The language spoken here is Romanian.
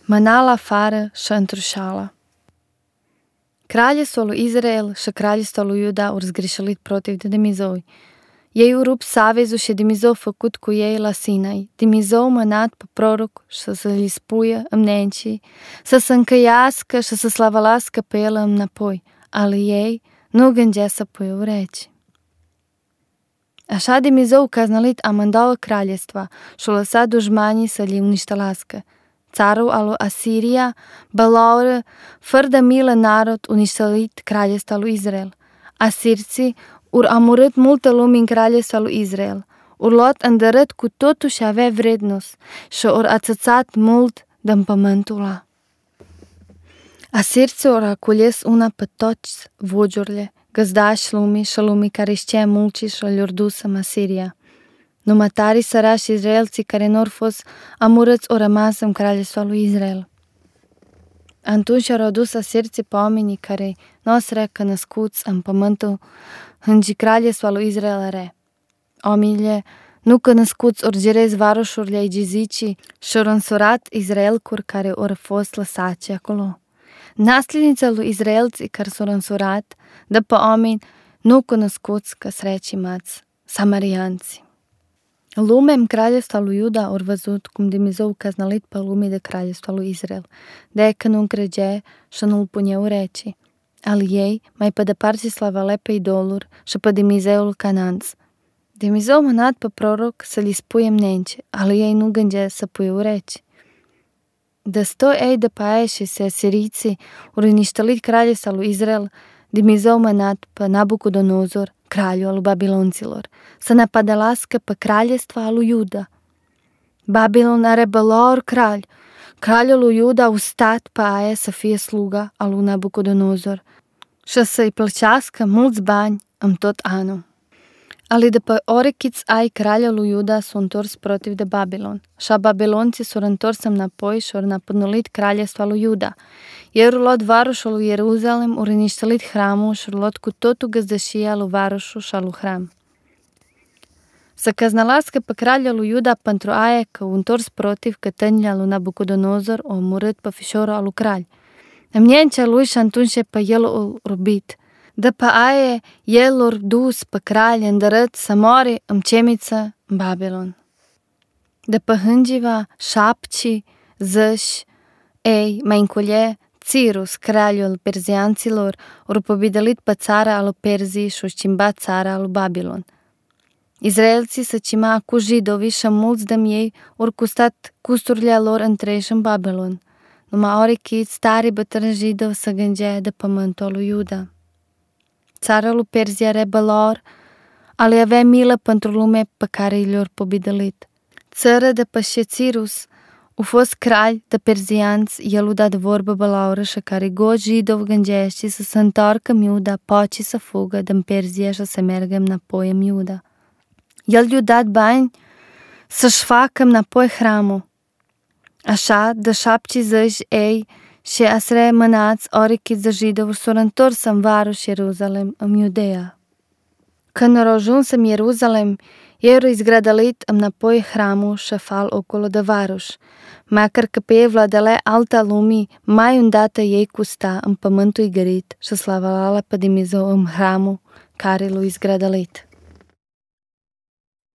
Manala afară și întrușala. Kraljevstvo Izrael și kraljevstvo Iuda ur zgrišelit protiv de Dimizoi. Ei urup savezu še Dimizou făcut cu ei la Sinai. Dimizou mănat pe proroc și să li spuie îmnenci, să se încăiască și să slavalască pe el înapoi. Ale ei nu gândea să pui ureci. Așa Dimizou caznalit amândouă kraljestva și lăsat dușmanii să li uniștelască. Carul al Asiria, balaură, fără de milă narod uniștelit kraljevstva lui Izrael. Asirții ur amurât multă lume în kraljevstva lui Izrael. Ur luat îndărât cu totul și avea vrednos și ur ațățat mult din pământul ăla. Asirții ur acules una pe toți vogiurile, găzdași lumii și lumii care știa mulți și le-or dus în Asiria. Numai tari sărași izraelții care n-or fost amurâți o rămas în kraljevstva lui Izrael. Atunci au adus asirții pe oamenii care n-o srecă născuți în pământul îngi kraljevstva lui Izrael are. Oamenile nu că născuți ori gerezi varoșurile ai gizicii și ori însurat Izraelcuri care ori fost lăsați acolo. Nasljednița lui Izraelții care s-au însurat de pe oameni nu cunoscuți că sreci mați, samarianți. Lumea în kraljevstva lui Iuda ori văzut cum Dimizou caznalit pe lumii de kraljevstva lui Izrael, de că nu încregea și nu-l punea ureci. Al ei mai pe departe slavale pe idoluri și pe Dimizeul Cananț. Dimizou mănat pe proroc să li spuie mnenci, al ei nu gândea să pui ureci. De 100 ei de pe aia și se asiriții ori uniștelit kraljevstva lui Izrael, Dimizou mănat pe Nabucodonosor, kralju al Babilonților, să ne padelască pe kraljevstva lui Iuda. Babilon are belor kralj. Kraljul lui Iuda a ustat pe aia să fie sluga al lui Nabucodonosor și să-i plăcească mulți bani în tot anul. Ali de pe orechiți ai kraljul lui Iuda s-au întors protiv de Babilon, și babilonții s-au întors înapoi și au napănulit kraljevstva lui Iuda. Ei au luat varoșul lui Ierusalem, au riniștelit hramul și au luat cu totul găzdășia lui varoșul și al lui hram. Să căznalască pe kraljul lui Iuda pentru aia că au întors protiv cătănile lui Nabucodonosor au omorât pe fișorul al lui kralj. Îmniencea lui și atunci pe el au rubit. De pe aia el l-a dus pe kralj îndărât să moare în cemiță în Babilon. De pe hângiva șapci, zăși, ei, mai înculie, Cirus, kraljul perzianților, au pobidelit pe țara al lui Perzii și au schimbat țara al lui Babilon. Izraelții se cima cu jidovi și mulți de ei au custat custurile lor întregi în Babilon. Numai orechiți tari bătrâni jidovi se gândea de pământul lui Iuda. Țara lui Perzia rebelor, ale avea milă pentru lume pe care i-le-au pobidelit. Țara de pe Cirus a fost kralj de perzianți, el a dat vorbă bălaură și care go jidov gândește să se întoarcă în Iuda, poate să fugă din Perzia și să meargă înapoi în Iuda. El i-a dat bani să-și facă înapoi hramul. Așa, de 70 ei și asre mânați orechiți de jidov s-au întors în varoș Ierusalem, în Iudea. Când au ajuns în Ierusalem, ei au izgradălit înapoi hramul și fal ocolo de varoș, macăr că pe ei vladele alta lumii mai îndată ei custa în pământul igărit și slavala pe Dimizou în hramul care l-a izgradălit.